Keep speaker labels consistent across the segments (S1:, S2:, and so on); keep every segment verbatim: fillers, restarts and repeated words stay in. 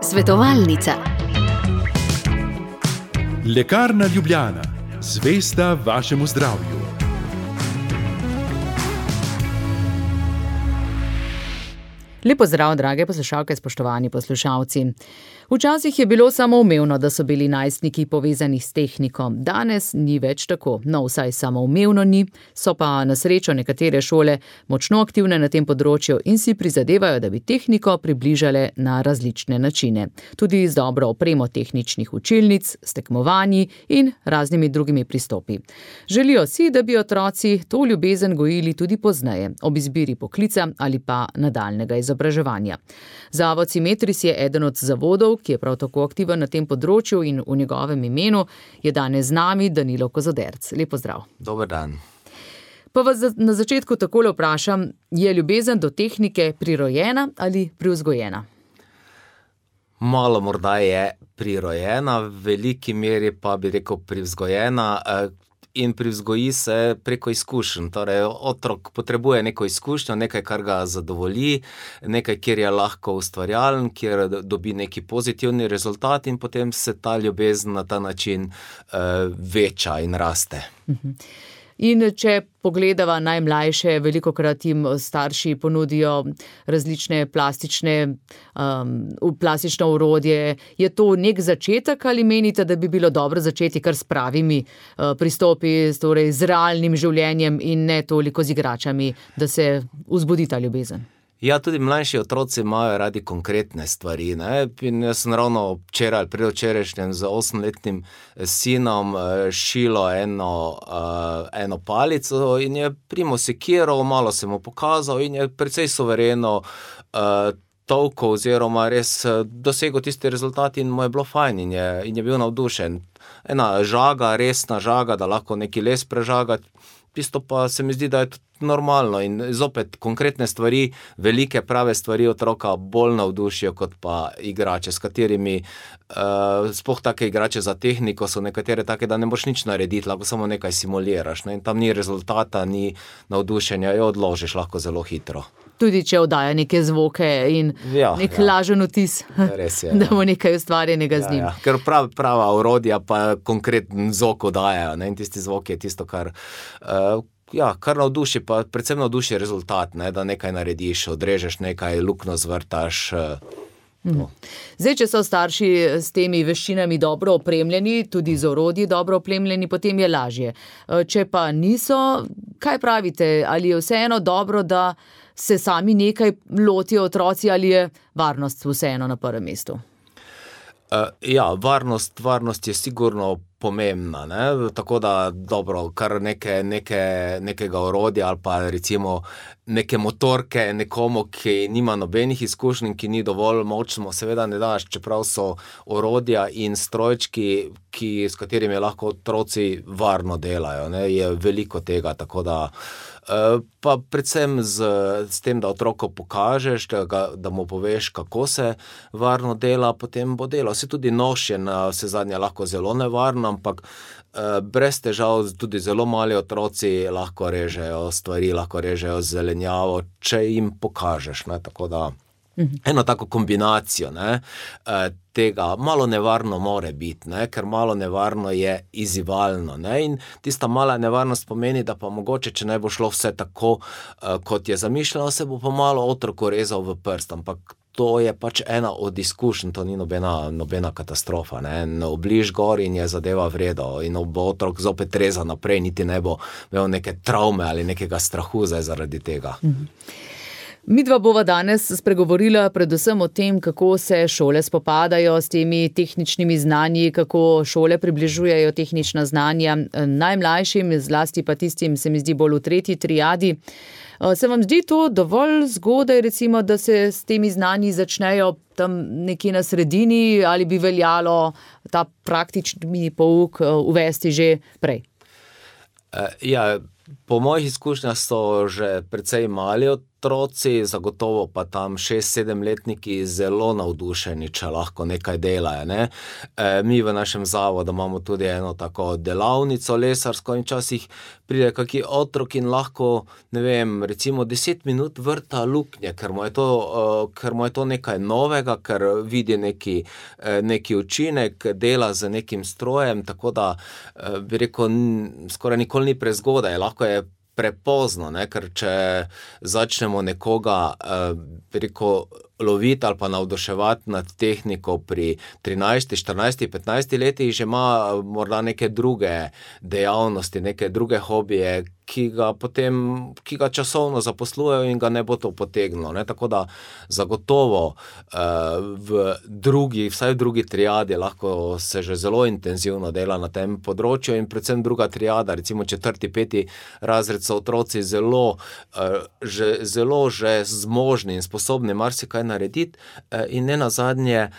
S1: Svetovalnica.
S2: Lekarna Ljubljana, zvesta vašemu zdravju.
S3: Lep pozdrav, drage poslušalke, spoštovani poslušalci. Včasih je bilo samoumevno, da so bili najstniki povezani s tehniko. Danes ni več tako. No, vsaj samoumevno ni, so pa na srečo nekatere šole močno aktivne na tem področju in si prizadevajo, da bi tehniko približale na različne načine. Tudi z dobro opremo tehničnih učilnic, s tekmovanji in raznimi drugimi pristopi. Želijo si, da bi otroci to ljubezen gojili tudi pozneje, ob izbiri poklica ali pa nadaljnjega izobraževanja. Zavod Simetris je eden od zavodov, ki je prav tako aktiven na tem področju, in v njegovem imenu je danes z nami Danilo Kozoderc. Lep pozdrav.
S4: Dober dan.
S3: Pa vas na začetku takole vprašam, je ljubezen do tehnike prirojena ali privzgojena?
S4: Malo morda je prirojena, v veliki meri pa bi rekel privzgojena, in privzgoji se preko izkušenj. Torej, otrok potrebuje neko izkušnjo, nekaj, kar ga zadovolji, nekaj, kjer je lahko ustvarjalen, kjer dobi neki pozitivni rezultat in potem se ta ljubezen na ta način uh, veča in raste.
S3: Uh-huh. In če pogledava najmlajše, velikokrat jim starši ponudijo različne plastične, um, plastično orodje. Je to nek začetek ali menite, da bi bilo dobro začeti kar s pravimi uh, pristopi, torej z realnim življenjem in ne toliko z igračami, da se vzbudi ta ljubezen?
S4: Ja, tudi mlajši otroci imajo radi konkretne stvari, ne? In jaz sem ravno včeraj ali predvčerajšnjem z osemletnim sinom šilo eno, uh, eno palico in je primo sekiral, malo sem mu pokazal in je precej suvereno uh, tolko oziroma res dosegel tisti rezultat in mu je bilo fajn in je, in je bil navdušen. Ena žaga, resna žaga, da lahko neki les prežagati, tisto pa se mi zdi, da je tudi normalno in zopet konkretne stvari, velike prave stvari otroka bolj navdušijo kot pa igrače, s katerimi uh, sploh take igrače za tehniko so nekatere take, da ne boš nič narediti, lahko samo nekaj simuliraš, ne? In tam ni rezultata, ni navdušenja, jo odložiš lahko zelo hitro.
S3: Tudi če oddaja neke zvoke in
S4: ja,
S3: nek
S4: ja.
S3: lažen vtis,
S4: Res je,
S3: da bo
S4: ja.
S3: nekaj ustvarjenega z njim.
S4: Ja, ja. Ker prav, prava orodja pa konkreten zvok oddajajo, ne? In tisti zvok je tisto, kar uh, Ja, kar navduši, pa predvsem navduši rezultat, ne, da nekaj narediš, odrežeš nekaj, luknjo zvrtaš. No.
S3: Zdaj, če so starši s temi veščinami dobro opremljeni, tudi z orodji dobro opremljeni, potem je lažje. Če pa niso, kaj pravite? Ali je vseeno dobro, da se sami nekaj lotijo otroci, ali je varnost vseeno na prvem mestu?
S4: Uh, ja, varnost, varnost je sigurno pomembna, ne? Tako da dobro, kar neke, neke, nekega orodja ali pa recimo neke motorke nekomu, ki nima nobenih izkušenj, ki ni dovolj močno, seveda ne daš, čeprav so orodja in strojčki, ki, s katerimi lahko otroci varno delajo, ne? Je veliko tega, tako da pa predvsem z, s tem, da otroku pokažeš, da, ga, da mu poveš, kako se varno dela, potem bo delal. Se tudi nož je na vse zadnje lahko zelo nevarno, ampak eh, brez težav tudi zelo mali otroci lahko režejo stvari, lahko režejo zelenjavo, če jim pokažeš, ne, tako da eno tako kombinacijo, ne, tega malo nevarno more biti, ne, ker malo nevarno je izzivalno, ne, in tista mala nevarnost pomeni, da pa mogoče, če ne bo šlo vse tako, kot je zamišljeno, se bo pa malo otroku rezal v prst, ampak to je pač ena od izkušenj, to ni nobena, nobena katastrofa, ne, obliž gor in je zadeva vredo in bo otrok zopet reza naprej, niti ne bo imel neke travme ali nekega strahu zdaj zaradi tega.
S3: Mhm. Midva bova danes spregovorila predvsem o tem, kako se šole spopadajo s temi tehničnimi znanji, kako šole približujejo tehnična znanja najmlajšim, zlasti pa tistim, se mi zdi, bolj v tretji triadi. Se vam zdi to dovolj zgodaj, recimo, da se s temi znanji začnejo tam nekje na sredini, ali bi veljalo ta praktični pouk uvesti že prej?
S4: Ja, po mojih izkušnjah so že precej mali otroci, zagotovo pa tam šest-sedemletniki zelo navdušeni, če lahko nekaj delajo, ne. E, mi v našem zavodu imamo tudi eno tako delavnico lesarsko in včasih pride kaki otrok in lahko, ne vem, recimo deset minut vrta luknje, ker mu je to, uh, ker mu je to nekaj novega, ker vidi neki, uh, neki učinek, dela z nekim strojem, tako da uh, bi rekel, n- skoraj nikoli ni prezgodaj, lahko je prepozno, ne, ker če začnemo nekoga, uh, bi rekel, loviti ali pa navduševati nad tehniko pri trinajsti, štirinajsti, petnajsti letih, že ima morda neke druge dejavnosti, neke druge hobije, ki ga potem, ki ga časovno zaposlujejo in ga ne bo to potegnilo, ne, tako da zagotovo uh, v drugi, vsaj v drugi triadi lahko se že zelo intenzivno dela na tem področju in predvsem druga triada, recimo četrti, peti razred so otroci zelo, uh, že, zelo že zmožni in sposobni marsikaj narediti uh, in ne nazadnje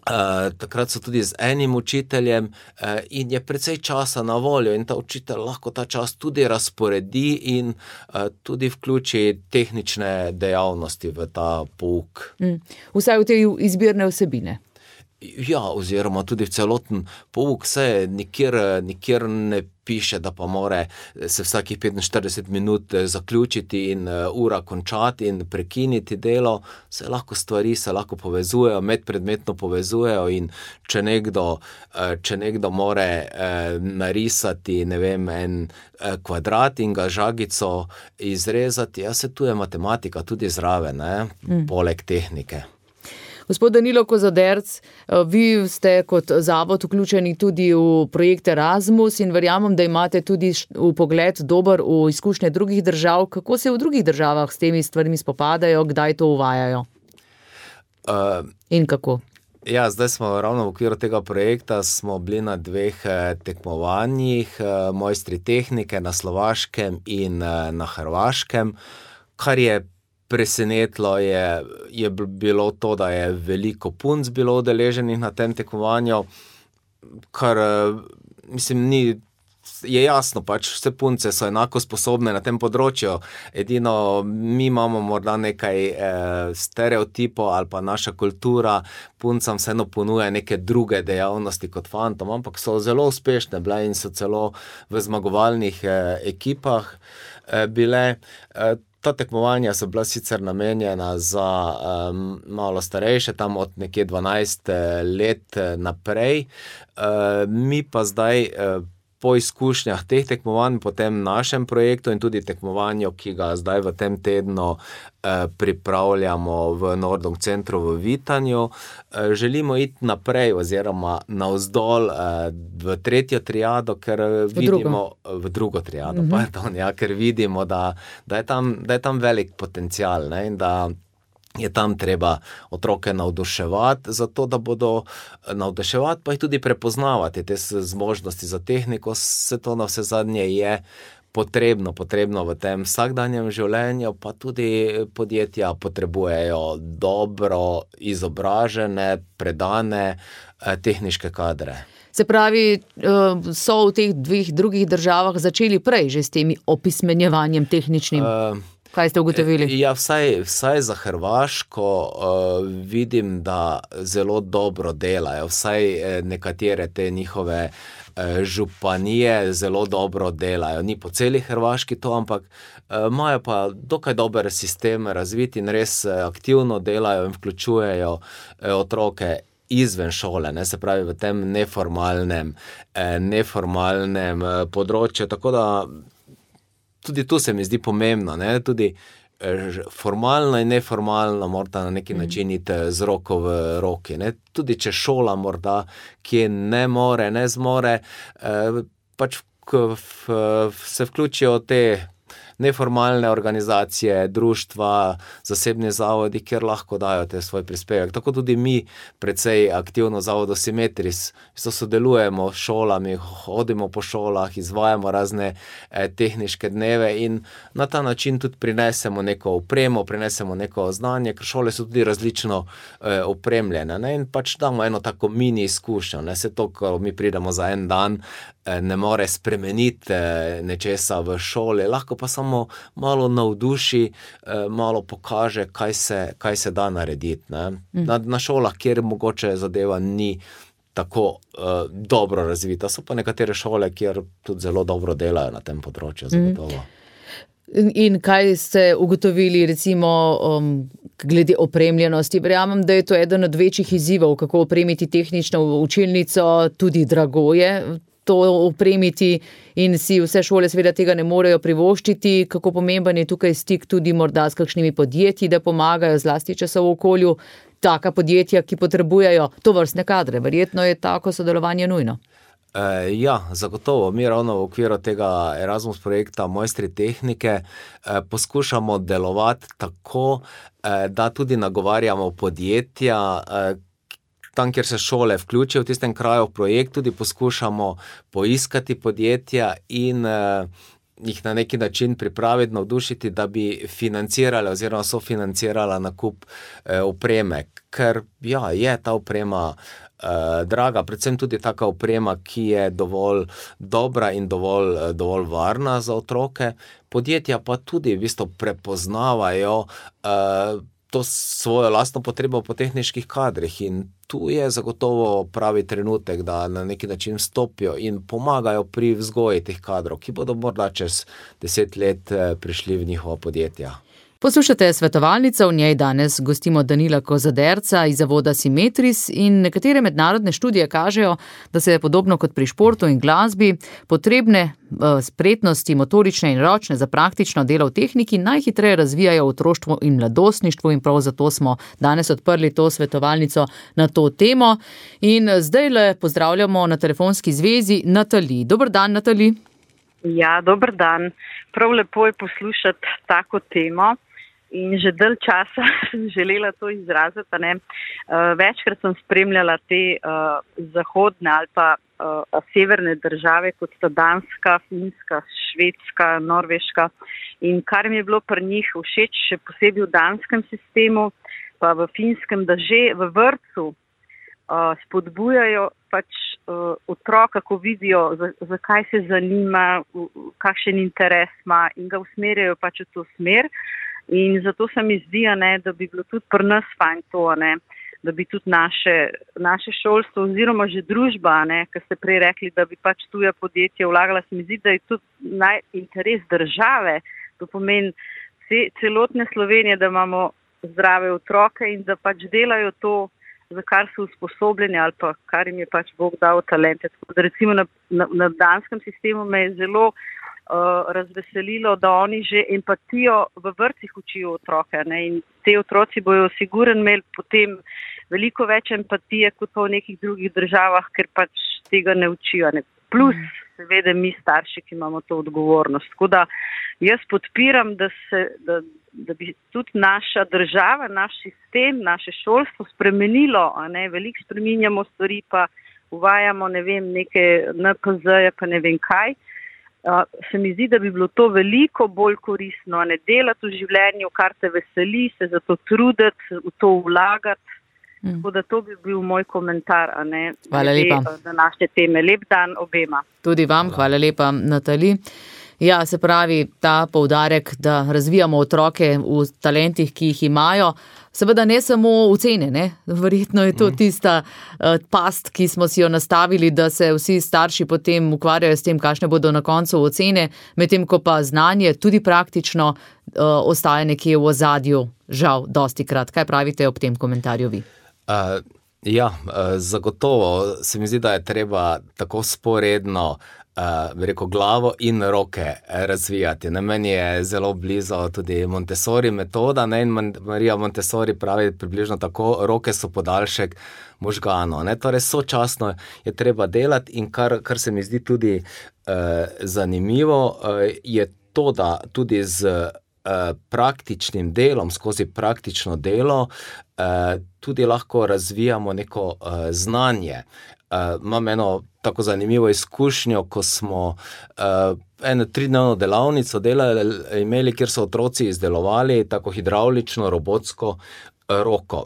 S4: Uh, takrat so tudi z enim učiteljem uh, in je precej časa na voljo in ta učitelj lahko ta čas tudi razporedi in uh, tudi vključi tehnične dejavnosti v ta pouk.
S3: Mm. Vsaj v te izbirne vsebine.
S4: Ja, oziroma tudi v celoten pouk, se nikjer, nikjer ne piše, da pa more se vsakih petinštirideset minut zaključiti in ura končati in prekiniti delo, se lahko stvari se lahko povezujejo, medpredmetno povezujejo in če nekdo, če nekdo more narisati, ne vem, en kvadrat in ga žagico izrezati, ja, se tu je matematika tudi zraven, ne, mm. poleg tehnike.
S3: Gospod Danilo Kozoderc, vi ste kot zavod vključeni tudi v projekt Erasmus in verjamem, da imate tudi vpogled dober v izkušnje drugih držav. Kako se v drugih državah s temi stvarmi spopadajo, kdaj to uvajajo? Uh, in kako?
S4: Ja, zdaj smo ravno v okviru tega projekta, smo bili na dveh tekmovanjih, mojstri tehnike na Slovaškem in na Hrvaškem, kar je presenetilo je, je bilo to, da je veliko punc bilo udeleženih na tem tekmovanju, kar, mislim, ni, je jasno, pač vse punce so enako sposobne na tem področju, edino mi imamo morda nekaj eh, stereotipov ali pa naša kultura puncam vseeno ponuja neke druge dejavnosti kot fantom, ampak so zelo uspešne bile in so celo v zmagovalnih eh, ekipah eh, bile. Eh, Ta tekmovanja so bila sicer namenjena za um, malo starejše, tam od nekje dvanajst let naprej. Uh, mi pa zdaj uh, po izkušnjah teh tekmovanj, po tem našem projektu in tudi tekmovanju, ki ga zdaj v tem tednu eh, pripravljamo v Nordung centru v Vitanju, eh, želimo iti naprej oziroma navzdol eh, v tretjo triado, ker v vidimo drugo. v drugo triado, uh-huh. pardon, ja, ker vidimo, da, da, je tam, da je tam velik potencial, ne, in da je tam treba otroke navduševati, zato da bodo navduševati, pa jih tudi prepoznavati, te zmožnosti za tehniko, vse to na vse zadnje je potrebno, potrebno v tem vsakdanjem življenju, pa tudi podjetja potrebujejo dobro izobražene, predane tehniške kadre.
S3: Se pravi, so v teh dveh drugih državah začeli prej že s temi opismenjevanjem tehničnim? Uh, Kaj ste ugotovili?
S4: Ja, vsaj, vsaj za Hrvaško uh, vidim, da zelo dobro delajo. Vsaj nekatere te njihove uh, županije zelo dobro delajo. Ni po celi Hrvaški to, ampak uh, imajo pa dokaj dober sistem razviti in res aktivno delajo in vključujejo uh, otroke izven šole, ne, se pravi v tem neformalnem, uh, neformalnem uh, področju, tako da tudi tu se mi zdi pomembno, ne? Tudi formalno in neformalno morda na neki način iti z roko v roki. Ne? Tudi če šola morda, ki ne more, ne zmore, pač se vključijo te neformalne organizacije, društva, zasebni zavodi, kjer lahko dajo te svoj prispevek. Tako tudi mi precej aktivno zavodu Simetris sodelujemo s šolami, hodimo po šolah, izvajamo razne eh, tehniške dneve in na ta način tudi prinesemo neko opremo, prinesemo neko znanje, ker šole so tudi različno eh, opremljene, ne? In pač damo eno tako mini izkušnjo, ne? Se to, ko mi pridemo za en dan ne more spremeniti nečesa v šoli, lahko pa samo malo navduši, malo pokaže, kaj se, kaj se da narediti. Ne? Na, na šolah, kjer mogoče zadeva ni tako uh, dobro razvita, so pa nekatere šole, kjer tudi zelo dobro delajo na tem področju, zagotovo.
S3: In, in kaj ste ugotovili, recimo, um, glede opremljenosti? Verjamem, da je to eden od večjih izzivov, kako opremiti tehnično učilnico, tudi drago je to opremiti in si vse šole seveda tega ne morejo privoščiti. Kako pomemben je tukaj stik tudi morda s kakšnimi podjetji, da pomagajo zlasti časov v okolju, taka podjetja, ki potrebujejo tovrstne kadre. Verjetno je tako sodelovanje nujno.
S4: E, ja, zagotovo. Mi ravno v okviru tega Erasmus projekta Mojstri tehnike e, poskušamo delovati tako, e, da tudi nagovarjamo podjetja, e, tam, kjer se šole vključijo v tistem kraju v projekt, tudi poskušamo poiskati podjetja in e, jih na neki način pripraviti, navdušiti, da bi financirali oziroma sofinancirala nakup e, opreme. Ker ja, je ta oprema Uh, draga, predvsem tudi taka oprema, ki je dovolj dobra in dovolj, dovolj varna za otroke. Podjetja pa tudi v bistvu prepoznavajo uh, to svojo lastno potrebo po tehniških kadrih in tu je zagotovo pravi trenutek, da na neki način stopijo in pomagajo pri vzgoji teh kadrov, ki bodo morda čez deset let prišli v njihova podjetja.
S3: Poslušate Svetovalnico, v njej danes gostimo Danila Kozaderca iz zavoda Simetris in nekatere mednarodne študije kažejo, da se je podobno kot pri športu in glasbi potrebne spretnosti motorične in ročne za praktično delo v tehniki najhitreje razvijajo v otroštvu in mladostništvu in prav zato smo danes odprli to svetovalnico na to temo. In zdaj le pozdravljamo na telefonski zvezi Natali. Dober dan, Natali.
S1: Ja, dober dan. Prav lepo je poslušati tako temo. In že dalj časa sem želela to izraziti. Ne? Uh, večkrat sem spremljala te uh, zahodne ali pa uh, severne države, kot sta Danska, Finska, Švedska, Norveška. In kar mi je bilo pri njih všeč, še posebej v danskem sistemu, pa v finskem, da že v vrtcu uh, spodbujajo pač uh, otroka, ko vidijo, za, za kaj se zanima, v, kakšen interes ima in ga usmerjajo pač v to smer. In zato se mi zdi, ne, da bi bilo tudi pri nas fajn to, ne, da bi tudi naše, naše šolstvo oziroma že družba, ne, ker ste prej rekli, da bi pač tuja podjetja vlagala, se mi zdi, da je tudi naj interes države, to pomeni celotne Slovenije, da imamo zdrave otroke in da pač delajo to, za kar so usposobljeni ali pa kar jim je pač Bog dal talente. Recimo na, na, na danskem sistemu me je zelo Uh, razveselilo, da oni že empatijo v vrtcih učijo otroke. Ne? In te otroci bojo sigurno imeli potem veliko več empatije kot pa v nekih drugih državah, ker pač tega ne učijo. Ne? Plus, seveda, mi starši, ki imamo to odgovornost. Tako da jaz podpiram, da, se, da, da bi tudi naša država, naš sistem, naše šolstvo spremenilo. A ne? Veliko spreminjamo stvari, pa uvajamo, ne vem, neke N P Z-je, pa ne vem kaj. Uh, se mi zdi, da bi bilo to veliko bolj koristno, ne delati v življenju, kar te veseli, se za to truditi, v to vlagati. Mm. Tako da to bi bil moj komentar, a ne,
S3: hvala lepa.
S1: Današnje teme. Lep dan obema.
S3: Tudi vam, hvala lepa, Natali. Ja, se pravi, ta poudarek, da razvijamo otroke v talentih, ki jih imajo, seveda ne samo ocene, ne? Verjetno je to tista uh, past, ki smo si jo nastavili, da se vsi starši potem ukvarjajo s tem, kakšne bodo na koncu ocene, medtem ko pa znanje tudi praktično uh, ostaja nekje v ozadju, žal, dosti krat. Kaj pravite ob tem komentarju vi?
S4: Uh, ja, uh, zagotovo se mi zdi, da je treba tako sporedno Uh, bi rekel, glavo in roke razvijati. Na meni je zelo blizu tudi Montessori metoda, ne? In Marija Montessori pravi približno tako, roke so podaljšek možganov. Ne? Torej, sočasno je treba delati in kar, kar se mi zdi tudi uh, zanimivo, uh, je to, da tudi z uh, praktičnim delom, skozi praktično delo, uh, tudi lahko razvijamo neko uh, znanje. Uh, imam eno tako zanimivo izkušnjo, ko smo uh, eno tridnevno delavnico delali, imeli, kjer so otroci izdelovali tako hidravlično, robotsko uh, roko.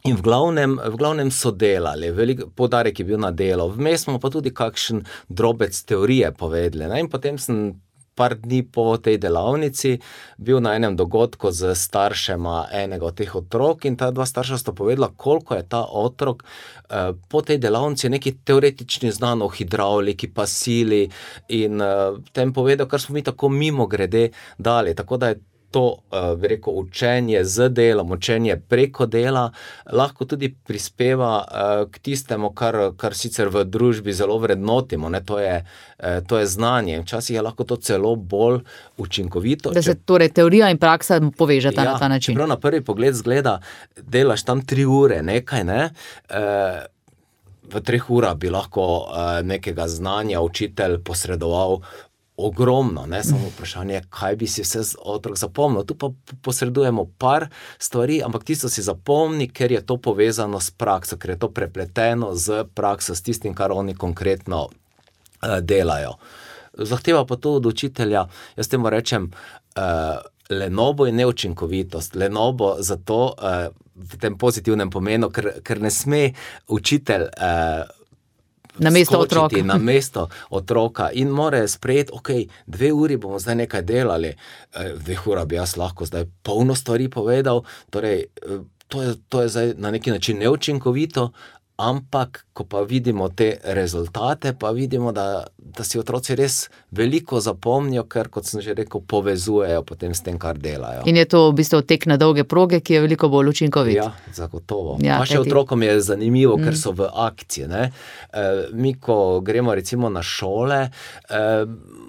S4: In v glavnem, v glavnem so delali, velik poudarek je bil na delo. Vmes smo pa tudi kakšen drobec teorije povedali. Ne? In potem sem par dni po tej delavnici bil na enem dogodku z staršema enega od teh otrok in ta dva starša sta povedala, koliko je ta otrok eh, po tej delavnici neki teoretični znan o hidravliki, pa sili in eh, tem povedal, kar smo mi tako mimo grede dali. Tako da je to, bi rekel, učenje z delom, učenje preko dela lahko tudi prispeva k tistemu, kar, kar sicer v družbi zelo vrednotimo, ne, to je, to je znanje. Včasih je lahko to celo bolj učinkovito.
S3: Da se torej teorija in praksa povežeta ja, na ta način.
S4: Čeprav na prvi pogled zgleda, delaš tam tri ure nekaj, ne, v treh urah bi lahko nekega znanja učitelj posredoval ogromno, ne, samo vprašanje, kaj bi si vse otrok zapomnil. Tu pa posredujemo par stvari, ampak tisto si zapomni, ker je to povezano s prakso, ker je to prepleteno z prakso, s tistim, kar oni konkretno uh, delajo. Zahteva pa to od učitelja, jaz temu rečem, uh, lenobo in neučinkovitost. Lenobo zato uh, v tem pozitivnem pomenu, ker, ker ne sme učitelj uh,
S3: na mesto otroka.
S4: Na mesto otroka in more sprejeti, ok, dve uri bomo zdaj nekaj delali, dve ura bi jaz lahko zdaj polno stvari povedal, torej to je, to je zdaj na neki način neučinkovito, ampak ko pa vidimo te rezultate, pa vidimo, da, da si otroci res veliko zapomnijo, ker, kot sem že rekel, povezujejo potem s tem, kar delajo.
S3: In je to v bistvu tek na dolge proge, ki je veliko bolj učinkovit.
S4: Ja, zagotovo. Ja, pa še otrokom je zanimivo, mm. ker so v akciji. Ne? E, mi, ko gremo recimo na šole, e,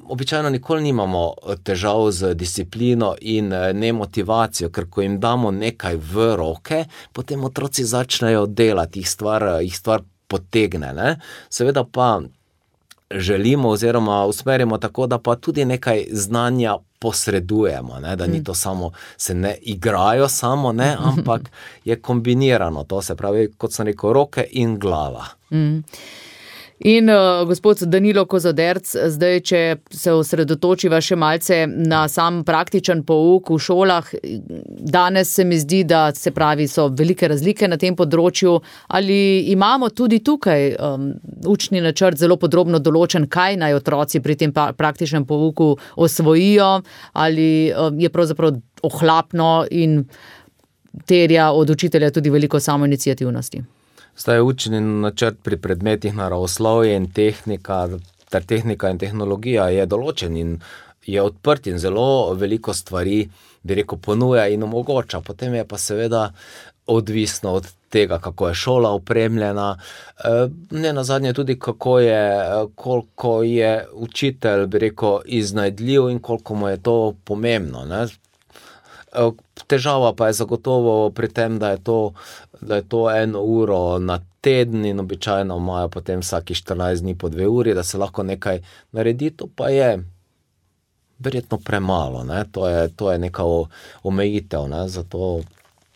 S4: običajno nikoli nimamo težav z disciplino in nemotivacijo, ker ko jim damo nekaj v roke, potem otroci začnejo delati, jih stvar, jih stvar potegne. Ne? Seveda pa želimo oziroma usmerimo tako, da pa tudi nekaj znanja posredujemo, ne? Da ni to samo, se ne igrajo samo, ne? Ampak je kombinirano, to se pravi, kot sem rekel, roke in glava.
S3: Mm. In uh, gospod Danilo Kozoderc, zdaj, če se osredotočiva še malce na sam praktičen pouk v šolah, danes se mi zdi, da se pravi, so velike razlike na tem področju, ali imamo tudi tukaj um, učni načrt zelo podrobno določen, kaj naj otroci pri tem praktičnem pouku osvojijo, ali um, je pravzaprav ohlapno in terja od učitelja tudi veliko samoiniciativnosti?
S4: Zdaj učni načrt pri predmetih naravoslovje in tehnika, ter tehnika in tehnologija je določen in je odprt in zelo veliko stvari, bi rekel, ponuja in omogoča. Potem je pa seveda odvisno od tega, kako je šola opremljena, ne nazadnje tudi, kako je, koliko je učitelj, bi rekel, iznajdljiv in koliko mu je to pomembno, ne. Težava pa je zagotovo pri tem, da je to, da je to eno uro na teden in običajno imajo potem vsaki štirinajst dni po dve uri, da se lahko nekaj naredi, to pa je verjetno premalo, ne? To je, to je neka omejitev, ne? Zato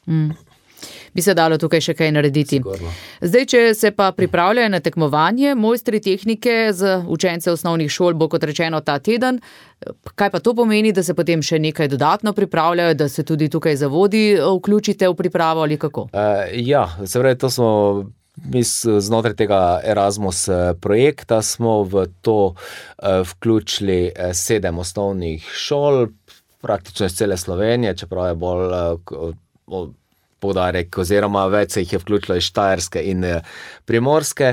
S3: mm. bi se dalo tukaj še kaj narediti.
S4: Sigurno.
S3: Zdaj, če se pa pripravljajo na tekmovanje, mojstri tehnike z učence osnovnih šol bo, kot rečeno, ta teden. Kaj pa to pomeni, da se potem še nekaj dodatno pripravljajo, da se tudi tukaj zavodi vključite v pripravo ali kako?
S4: Uh, ja, se pravi, to smo mi znotraj tega Erasmus projekta smo v to uh, vključili sedem osnovnih šol, praktično iz cele Slovenije, čeprav je bolj uh, poudarek, oziroma več se jih je vključilo iz Štajerske in Primorske.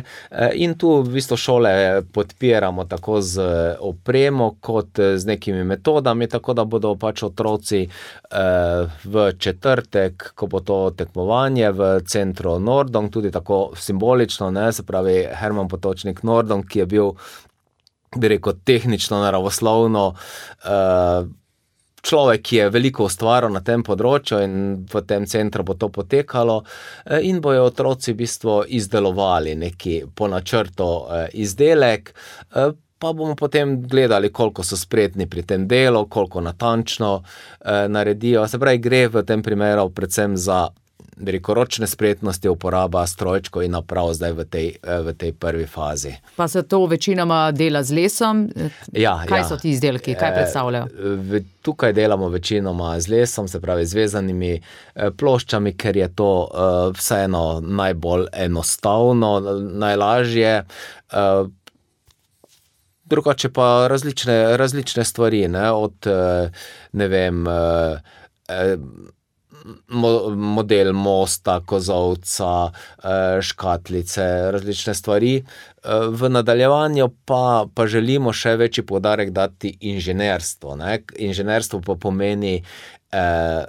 S4: In tu v bistvu šole podpiramo tako z opremo, kot z nekimi metodami, tako da bodo pač otroci v četrtek, ko bo to tekmovanje v centru Nordong, tudi tako simbolično, ne, se pravi Herman Potočnik Nordong, ki je bil, bi rekel, tehnično, naravoslovno človek, ki je veliko ustvaril na tem področju in v tem centru bo to potekalo in bojo otroci v bistvu izdelovali neki po načrtu izdelek, pa bomo potem gledali, koliko so spretni pri tem delu, koliko natančno naredijo. Se pravi, gre v tem primeru predvsem za rekel, ročne spretnosti, uporaba strojčkov in naprav zdaj v tej, v tej prvi fazi.
S3: Pa se to večinoma dela z lesom?
S4: Ja,
S3: kaj
S4: ja.
S3: so ti izdelki, kaj predstavljajo?
S4: E, tukaj delamo večinoma z lesom, se pravi z vezanimi ploščami, ker je to uh, vseeno najbolj enostavno, najlažje. Uh, drugače pa različne, različne stvari, ne, od, ne vem, model mosta, kozovca, škatlice, različne stvari. V nadaljevanju pa, pa želimo še večji poudarek dati inženirstvo, ne. Inženirstvo pa pomeni, eh,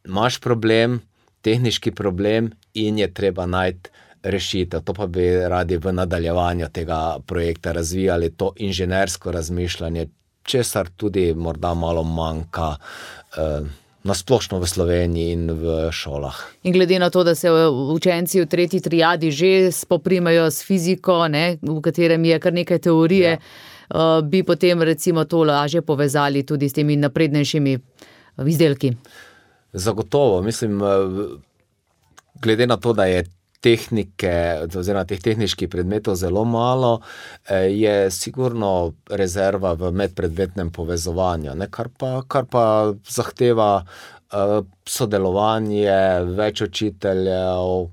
S4: imaš problem, tehniški problem in je treba najti rešitev. To pa bi radi v nadaljevanju tega projekta razvijali, to inženirsko razmišljanje, česar tudi morda malo manjka eh, nasplošno v Sloveniji in v šolah. In
S3: glede na to, da se učenci v tretji triadi že spoprimejo s fiziko, ne, v katerem je kar nekaj teorije, ja. bi potem recimo to lažje povezali tudi s temi naprednejšimi izdelki.
S4: Zagotovo, mislim, glede na to, da je tehnike, oziroma teh tehničkih predmetov zelo malo, je sigurno rezerva v medpredmetnem povezovanju, ne, kar pa, kar pa zahteva uh, sodelovanje, več učiteljev,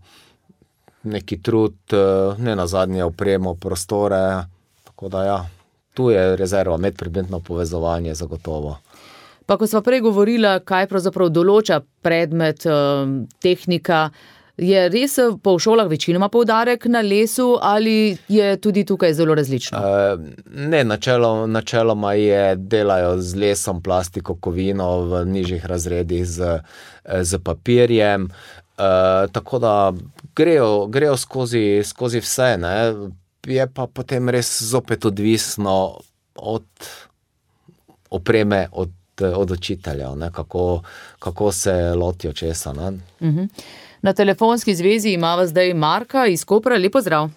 S4: neki trud, uh, ne nazadnje opremo, prostore, tako da ja, tu je rezerva, medpredmetno povezovanje zagotovo.
S3: Pa ko sva prej govorila, kaj pravzaprav določa predmet, uh, tehnika, je res po šolah večinoma poudarek na lesu ali je tudi tukaj zelo različno?
S4: Ne, načelo, načeloma je, delajo z lesom, plastiko, kovino, v nižjih razredih z, z papirjem, e, tako da grejo, grejo skozi, skozi vse, ne. Je pa potem res zopet odvisno od opreme, od, od učiteljev, ne, kako, kako se lotijo česa, ne.
S3: Uh-huh. Na telefonski zvezi imava zdaj Marka iz Kopra. Lepo zdrav.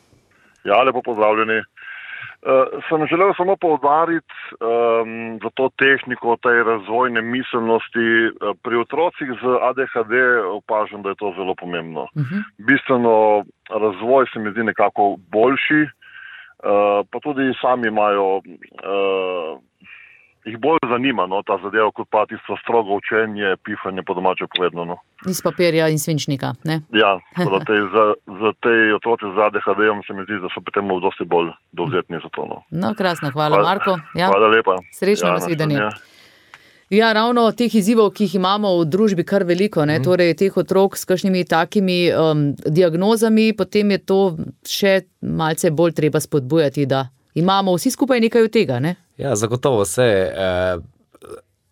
S5: Ja, lepo pozdravljeni. Uh, sem želel samo poudariti um, za to tehniko, tej razvojne miselnosti. Uh, pri otrocih z A D H D opažam, da je to zelo pomembno. Uh-huh. Bistveno razvoj se mi zdi nekako boljši, uh, pa tudi sami imajo, uh, jih bolj zanima, no, ta zadeva, kot pa tisto strogo učenje, pihanje po domače povedano. No.
S3: Iz papirja in svinčnika, ne?
S5: Ja, za te, za, za te otroci z A D H D-om se mi zdi, da so pri tem dosti bolj dovzetni za to. No,
S3: no krasno, hvala, hvala Marko. Ja.
S5: Hvala lepa.
S3: Srečno
S5: ja,
S3: nasvidenje. Ja, ravno teh izzivov, ki jih imamo v družbi kar veliko, ne, mm. torej teh otrok s kakšnimi takimi um, diagnozami, potem je to še malce bolj treba spodbujati, da imamo vsi skupaj nekaj od tega, ne?
S4: Ja, zagotovo se eh,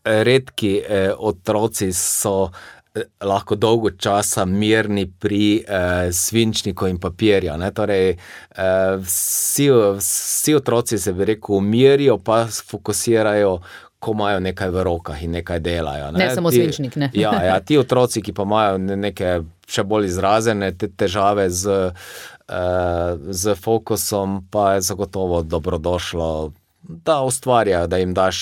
S4: redki eh, otroci so eh, lahko dolgo časa mirni pri eh, svinčniku in papirju, ne, torej eh, vsi, vsi otroci se bi rekel umirijo, pa fokusirajo, ko imajo nekaj v rokah in nekaj delajo.
S3: Ne, ne samo
S4: ti,
S3: svinčnik, ne.
S4: Ja, ja, ti otroci, ki pa imajo neke še bolj izrazene te težave z, eh, z fokusom, pa je zagotovo dobrodošlo, da ustvarjajo, da jim daš,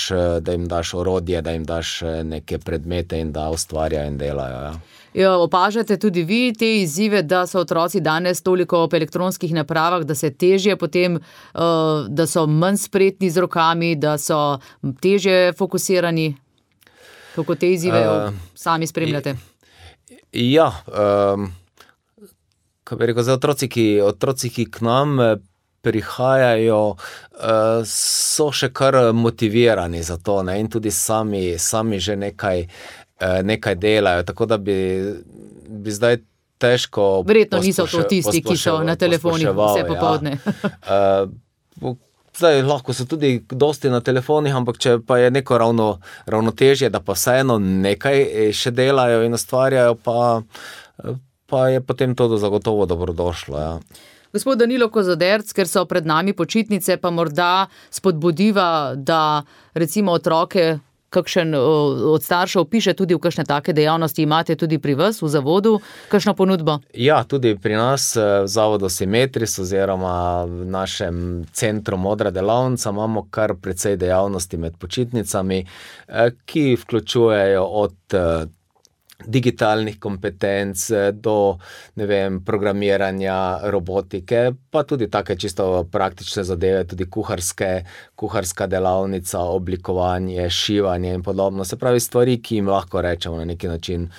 S4: da jim daš orodje, da jim daš neke predmete in da ustvarjajo in delajo. Ja.
S3: Ja, opažate tudi vi te izzive, da so otroci danes toliko ob elektronskih napravah, da se težje potem, da so manj spretni z rokami, da so težje fokusirani? Kako te izzive uh, sami spremljate?
S4: Ja, um, kaj bi rekel, za otroci, ki, otroci, ki k nam prihajajo, so še kar motivirani za to, ne, in tudi sami, sami že nekaj, nekaj delajo, tako da bi, bi zdaj težko
S3: verjetno niso to tisti, ki so na telefonih vse popoldne.
S4: Ja. Zdaj lahko so tudi dosti na telefonih, ampak če pa je neko ravno, ravnotežje, da pa vseeno nekaj še delajo in ustvarjajo, pa, pa je potem to zagotovo dobrodošlo, ja.
S3: Gospod Danilo Kozoderc, ker so pred nami počitnice, pa morda spodbudiva, da recimo otroke, kakšen od staršev piše tudi v kakšne take dejavnosti, imate tudi pri vas v zavodu, kakšno ponudbo?
S4: Ja, tudi pri nas v zavodu Simetris oziroma v našem centru Modra delavnica imamo kar precej dejavnosti med počitnicami, ki vključujejo od digitalnih kompetenc do, ne vem, programiranja, robotike, pa tudi take čisto praktične zadeve, tudi kuharske, kuharska delavnica, oblikovanje, šivanje in podobno. Se pravi stvari, ki jim lahko rečemo na neki način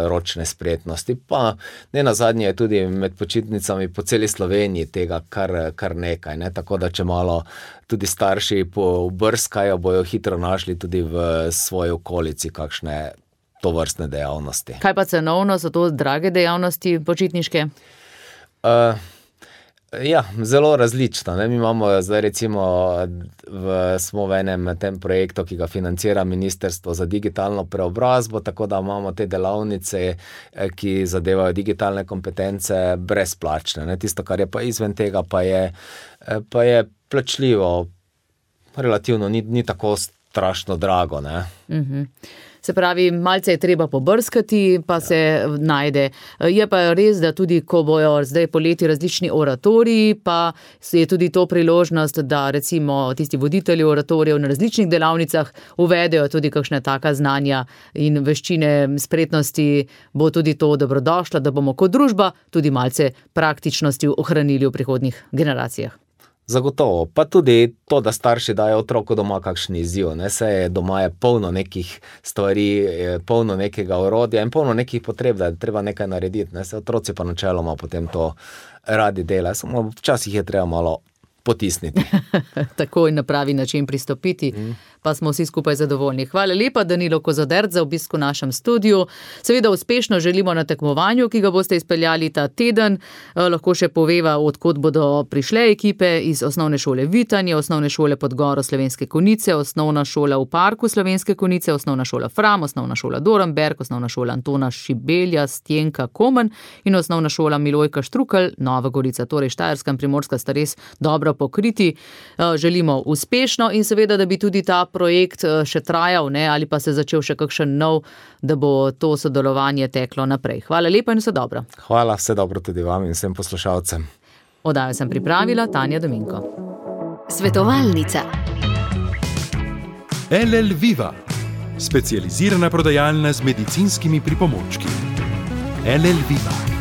S4: ročne spretnosti, pa ne nazadnje je tudi med počitnicami po celi Sloveniji tega kar, kar nekaj, ne? Tako da če malo tudi starši pobrskajo, bojo hitro našli tudi v svoji okolici kakšne tovrstne dejavnosti.
S3: Kaj pa cenovno, so to drage dejavnosti počitniške?
S4: Uh, Ja, zelo različno. Ne? Mi imamo zdaj recimo, v, smo v enem tem projektu, ki ga financira Ministrstvo za digitalno preobrazbo, tako da imamo te delavnice, ki zadevajo digitalne kompetence, brezplačne. Ne? Tisto, kar je pa izven tega, pa je, pa je plačljivo, relativno, ni, ni tako strašno drago. Ne?
S3: Mhm. Se pravi, malce je treba pobrskati, pa se najde. Je pa res, da tudi, ko bojo zdaj poleti različni oratoriji, pa je tudi to priložnost, da recimo tisti voditelji oratorijev na različnih delavnicah uvedejo tudi kakšne taka znanja in veščine, spretnosti, bo tudi to dobrodošlo, da bomo kot družba tudi malce praktičnosti ohranili v prihodnjih generacijah.
S4: Zagotovo, pa tudi to, da starši dajo otroku doma kakšen izziv, ne, se je doma je polno nekih stvari, polno nekega orodja in polno nekih potreb, da je treba nekaj narediti, ne, se otroci pa načeloma potem to radi delajo, samo včasih je treba malo potisniti.
S3: Tako in na pravi način pristopiti, mm. pa smo vsi skupaj zadovoljni. Hvala lepa, Danilo Kozodert, za obisk v našem studiu. Seveda uspešno želimo na tekmovanju, ki ga boste izpeljali ta teden. Lahko še poveva, odkot bodo prišle ekipe iz osnovne šole Vitanje, osnovne šole Podgoro Slovenske Konjice, osnovna šola v Parku Slovenske Konjice, osnovna šola Fram, osnovna šola Dorenberg, osnovna šola Antona Šibelja, Stjenka Komen in osnovna šola Milojka Štrukelj, Nova Gorica, torej Štajerska in Primorska sta res dobro pokriti. Želimo uspešno in seveda, da bi tudi ta projekt še trajal, ne, ali pa se začel še kakšen nov, da bo to sodelovanje teklo naprej. Hvala lepa in vse dobro.
S4: Hvala, vse dobro tudi vam in vsem poslušalcem.
S3: Oddajo sem pripravila Tanja Dominko.
S6: Svetovalnica.
S2: L L Viva, specializirana prodajalna z medicinskimi pripomočki. L L Viva.